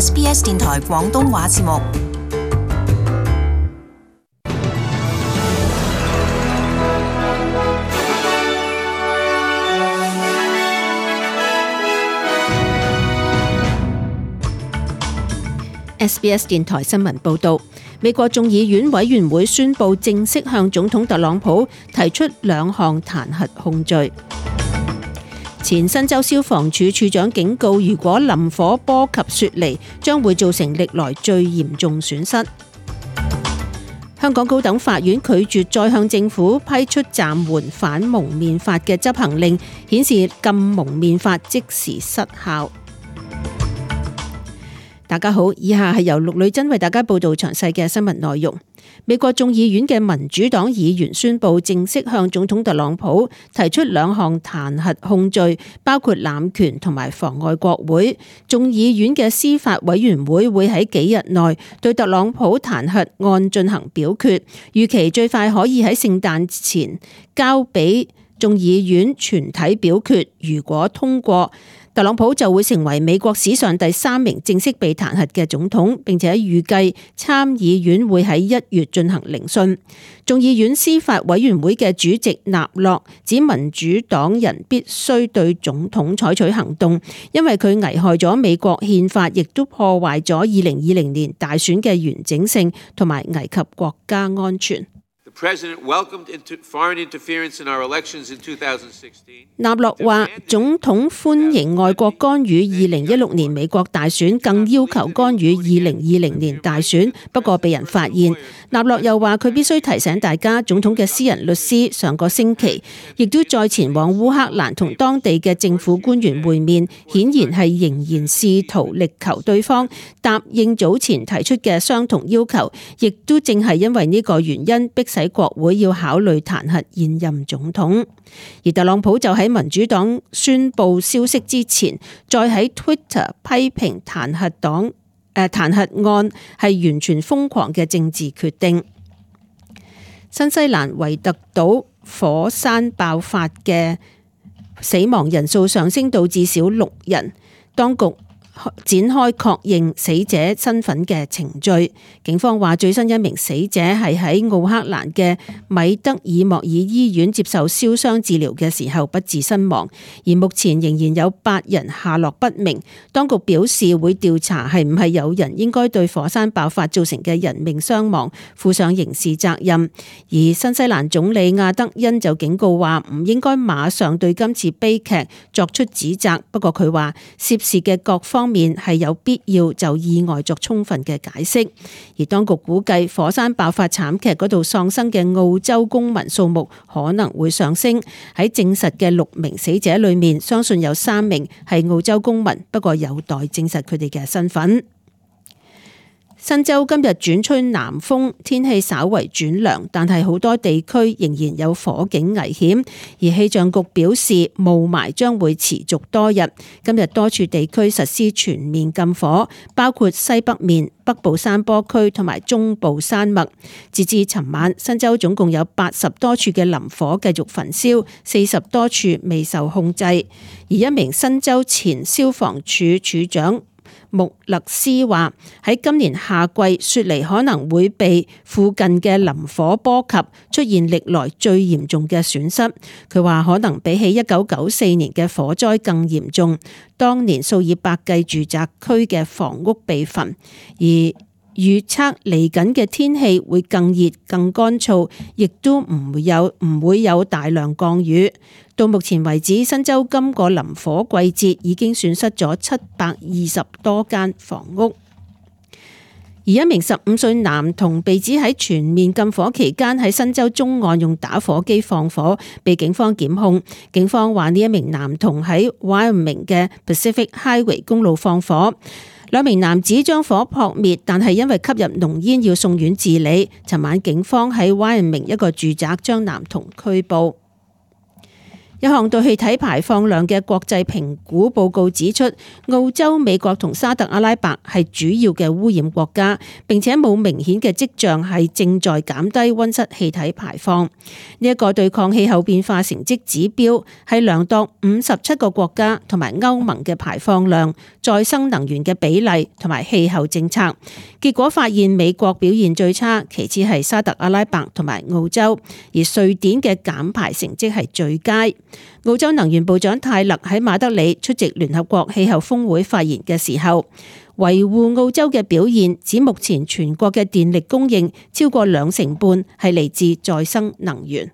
SBS 電台廣東話節目。SBS 電台新聞報導，美國眾議院委員會宣布正式向總統特朗普提出2項彈劾控罪。前新州消防處處長警告，如果林火波及雪梨，將會造成歷來最嚴重損失。香港高等法院拒絕再向政府批出暫緩反蒙面法嘅執行令，顯示禁蒙面法即時失效。大家好，以下係由陸女真為大家報道詳細嘅新聞內容。美國眾議院嘅民主黨議員宣布正式向總統特朗普提出2項彈劾控罪，包括濫權同埋妨礙國會。眾議院嘅司法委員會會喺幾日內對特朗普彈劾案進行表決，預期最快可以喺聖誕前交俾眾議院全體表決。如果通過，特朗普就會成為美國史上第3名正式被彈劾嘅總統，並且預計參議院會喺1月進行聆訊。眾議院司法委員會嘅主席納洛指民主黨人必須對總統採取行動，因為佢危害咗美國憲法，亦都破壞咗2020年大選嘅完整性，同埋危及國家安全。納洛話：總統歡迎外國干預2016年美國大選，更要求干預2020年大選，不過被人發現。納洛又話佢必須提醒大家，總統嘅私人律師上個星期亦都再前往烏克蘭同當地嘅政府官員會面，顯然係仍然試圖力求對方答應早前提出嘅相同要求，亦都正係因為呢個原因迫使國會要考慮彈劾現任總統。而特朗普就喺民主黨宣布消息之前，再喺 Twitter 批評彈劾案係完全瘋狂嘅政治決定。新西蘭維特島火山爆發嘅死亡人數上升到至少6人，當局展開確認死者身份嘅程序。警方話最新一名死者係喺奧克蘭嘅米德爾莫爾醫院接受燒傷治療嘅時候不治身亡，而目前仍然有8人下落不明。當局表示會調查係唔係有人應該對火山爆發造成嘅人命傷亡負上刑事責任。而新西蘭總理亞德恩就警告話唔應該馬上對今次悲劇作出指責，不過佢話涉事嘅各方面係有必要就意外作充分嘅解釋。而當局估計火山爆發慘劇嗰度喪生嘅澳洲公民數目可能會上升。喺證實嘅6名死者裏面，相信有3名係澳洲公民，不過有待證實佢哋嘅身份。新州今日轉吹南風，天氣稍為轉涼，但係好多地區仍然有火警危險。而氣象局表示，霧霾將會持續多日。今日多處地區實施全面禁火，包括西北面、北部山坡區同埋中部山脈。截至尋晚，新州總共有80多處嘅林火繼續焚燒，40多處未受控制。而一名新州前消防處處長穆勒斯話：喺今年夏季，雪梨可能會被附近嘅林火波及，出現歷來最嚴重嘅損失。佢話可能比起1994年嘅火災更嚴重，當年數以百計住宅區嘅房屋被焚。而預測嚟緊嘅天氣會更熱、更乾燥，亦都唔會有大量降雨。到目前為止，新州今個林火季節已經損失咗720多間房屋。而一名15歲男童被指喺全面禁火期間喺新州中岸用打火機放火，被警方檢控。警方話呢一名男童喺 Wyoming 嘅 Pacific Highway 公路放火。2名男子將火撲滅，但係因為吸入濃煙要送院治理。尋晚警方喺 Wyoming 一個住宅將男童拘捕。一項對氣體排放量嘅國際評估報告指出，澳洲、美國同沙特阿拉伯係主要嘅污染國家，並且冇明顯嘅跡象係正在減低溫室氣體排放。呢一個對抗氣候變化成績指標係量度57個國家同埋歐盟嘅排放量、再生能源嘅比例同埋氣候政策。結果發現美國表現最差，其次係沙特阿拉伯同埋澳洲，而瑞典嘅減排成績係最佳。澳洲能源部長泰勒喺馬德里出席聯合國氣候峰會發言嘅時候，維護澳洲嘅表現，指目前全國嘅電力供應超過2成半係嚟自再生能源。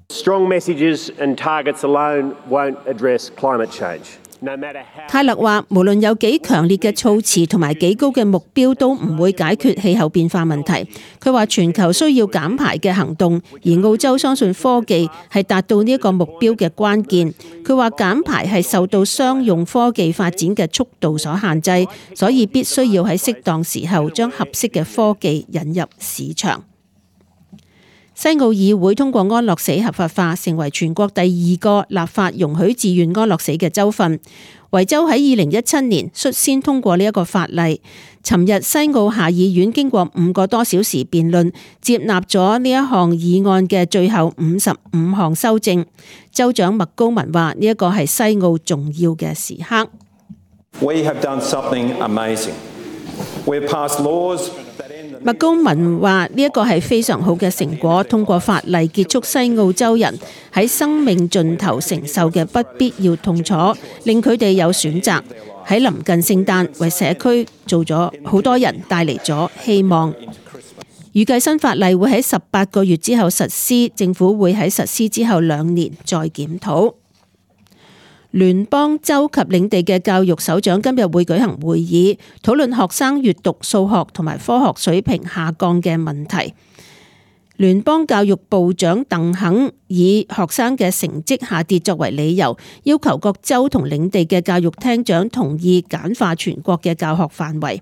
Strong messages and targets alone won't address climate change. 泰勒話，無論有幾強烈嘅措辭同埋幾高嘅目標，都唔會解決氣候變化問題。佢話全球需要減排嘅行動，而澳洲相信科技係達到呢一個目標嘅關鍵。佢話減排係受到商用科技發展嘅速度所限制，所以必須要喺適當時候將合適嘅科技引入市場。西澳議會通過安樂死合法化，成為全國第2個立法容許自願安樂死嘅州份。維州喺2017年率先通過呢一個法例。尋日西澳下議院經過5個多小時辯論，接納咗呢一項議案嘅最後55項修正。州長麥高文話：呢一個係西澳重要嘅時刻。We have done something amazing. We have passed laws. 麥高文話：呢一個係非常好嘅成果，通過法例結束西澳洲人喺生命盡頭承受嘅不必要痛楚，令佢哋有選擇。喺臨近聖誕，為社區做咗好多人帶嚟咗希望。預計新法例會喺18個月之後實施，政府會喺實施之後2年再檢討。聯邦、州及領地嘅教育首長今日會舉行會議，討論學生閱讀、數學同埋科學水平下降嘅問題。聯邦教育部長鄧肯以學生嘅成績下跌作為理由，要求各州同領地嘅教育廳長同意簡化全國嘅教學範圍。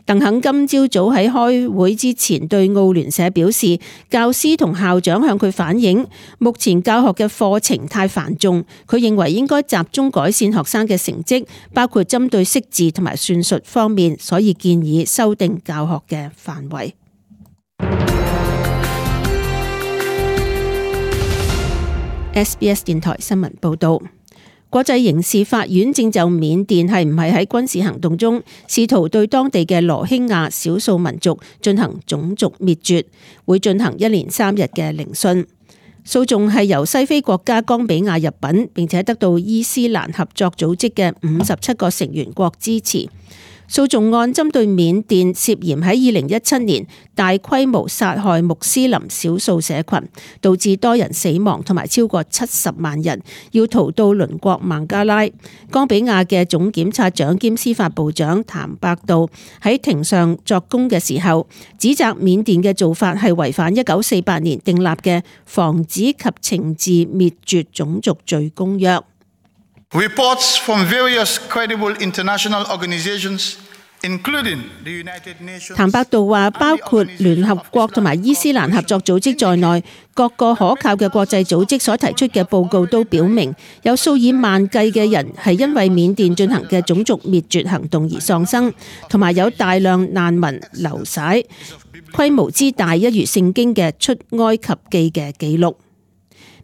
鄧肯今朝早喺開會之前對澳聯社表示，教師同校長向佢反映，目前教學嘅課程太繁重，佢認為應該集中改善學生嘅成績，包括針對識字同埋算術方面，所以建議修訂教學嘅範圍。SBS 電台新聞報道。國際刑事法院正就緬甸係唔係喺軍事行動中試圖對當地嘅羅興亞少數民族進行種族滅絕，會進行1連3日嘅聆訊。訴訟係由西非國家岡比亞入稟，並且得到伊斯蘭合作組織嘅57個成員國支持。訴訟案針對緬甸涉嫌喺2017年大規模殺害穆斯林少數社群，導致多人死亡同埋超過70萬人要逃到鄰國孟加拉。岡比亞嘅總檢察長兼司法部長譚伯道喺庭上作供嘅時候，指責緬甸嘅做法係違反1948年訂立嘅防止及懲治滅絕種族罪公約。Reports from various credible international organizations, including the United Nations. 譚伯道話，包括聯合國同埋伊斯蘭合作組織在內，各個可靠嘅國際組織所提出嘅報告都表明，有數以萬計嘅人係因為緬甸進行嘅種族滅絕行動而喪生，同埋有大量難民流徙，規模之大一如聖經嘅出埃及記嘅記錄。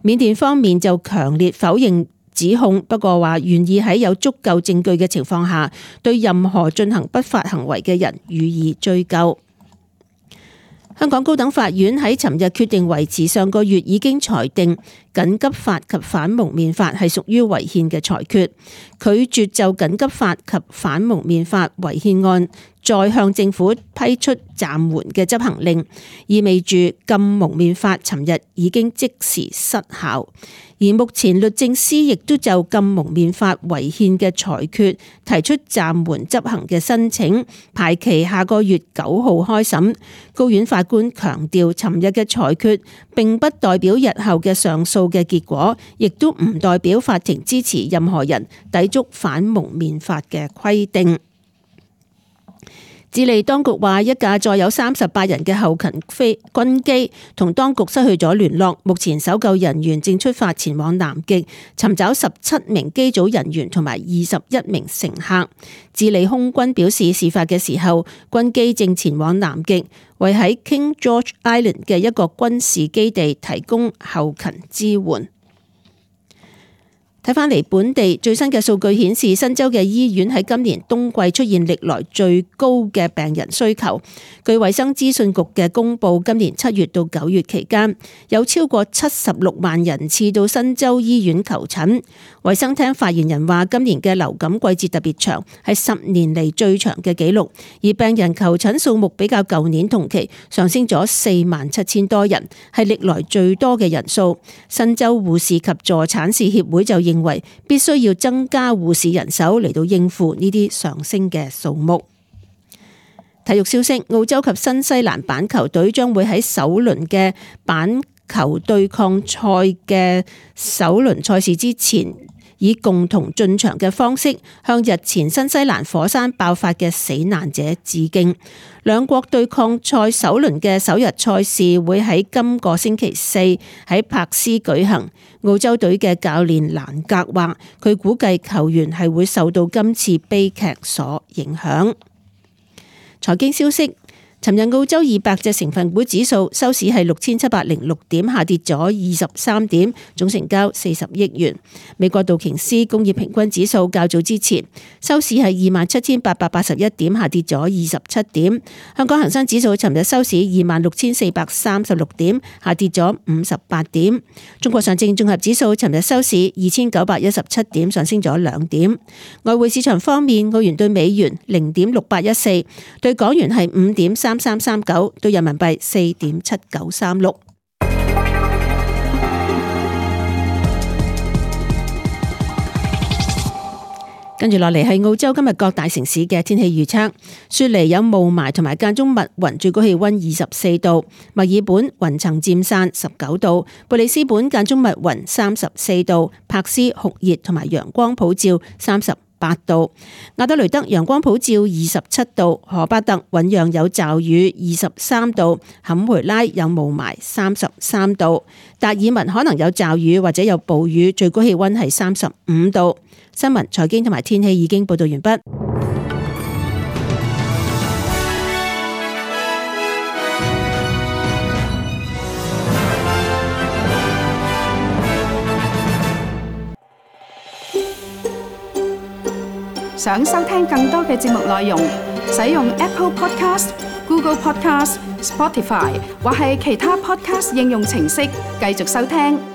緬甸方面就強烈否認指控，不過話願意喺有足夠證據嘅情況下，對任何進行不法行為嘅人予以追究。香港高等法院喺尋日決定維持上個月已經裁定緊急法及反蒙面法係屬於違憲嘅裁決，拒絕就緊急法及反蒙面法違憲案再向政府批出暫緩嘅執行令，意味住禁蒙面法尋日已經即時失效。而目前律政司亦都就禁蒙面法違憲嘅裁決提出暫緩執行嘅申請，排期下個月9號開審。高院法官強調，尋日嘅裁決並不代表日後嘅上訴嘅結果，亦都唔代表法庭支持任何人抵觸反蒙面法嘅規定。智利當局話，一架載有38人嘅後勤軍機同當局失去咗聯絡，目前搜救人員正出發前往南極，尋找17名機組人員同埋21名乘客。智利空軍表示，事發嘅時候，軍機正前往南極，為喺 King George Island 嘅一個軍事基地提供後勤支援。睇返嚟本地最新嘅數據顯示，新州嘅醫院喺今年冬季出現歷來最高嘅病人需求。據衛生資訊局嘅公佈，今年7月到9月期間，有超過76萬人次到新州醫院求診。衛生廳發言人話，今年嘅流感季節特別長，係10年嚟最長嘅紀錄，而病人求診數目比較舊年同期上升咗47,000多人，係歷來最多嘅人數。新州護士及助產士協會就認為必須要增加護士人手嚟到應付呢啲上升嘅數目。體育消息，澳洲及新西蘭板球隊將會喺首輪嘅板球對抗賽嘅首輪賽事之前，以共同進場嘅方式向日前新西蘭火山爆發嘅死難者致敬。兩國對抗賽首輪嘅首日賽事會喺今個星期4喺柏斯舉行。澳洲隊嘅教練蘭格話，佢估計球員係會受到今次悲劇所影響。財經消息，尋日澳洲200隻成分股指數收市係6706點，下跌咗23點，總成交40億元。美國道瓊斯工業平均指數較早之前收市係27,881點，下跌咗27點。香港恒生指數尋日收市26,436點，下跌咗58點。中國上證綜合指數尋日收市2,917點，上升咗2點。外匯市場方面，澳元對美元0.6814，對港元係5.3339，對人民幣4.7936。跟住落嚟係澳洲今日各大城市嘅天氣預測。雪梨有霧霾同埋間中密雲，最高氣溫24度；墨爾本雲層漸散19度；布里斯本間中密雲34度；柏斯酷熱同埋陽光普照38度；亞德雷德陽光普照27度；荷巴特醞釀有驟雨23度；坎培拉有霧霾33度；達爾文可能有驟雨或者有暴雨，最高氣溫係35度。新聞、財經同埋天氣已經報道完畢。想收聽更多嘅節目內容，使用 Apple Podcast、Google Podcast、Spotify 或係其他 Podcast 應用程式繼續收聽。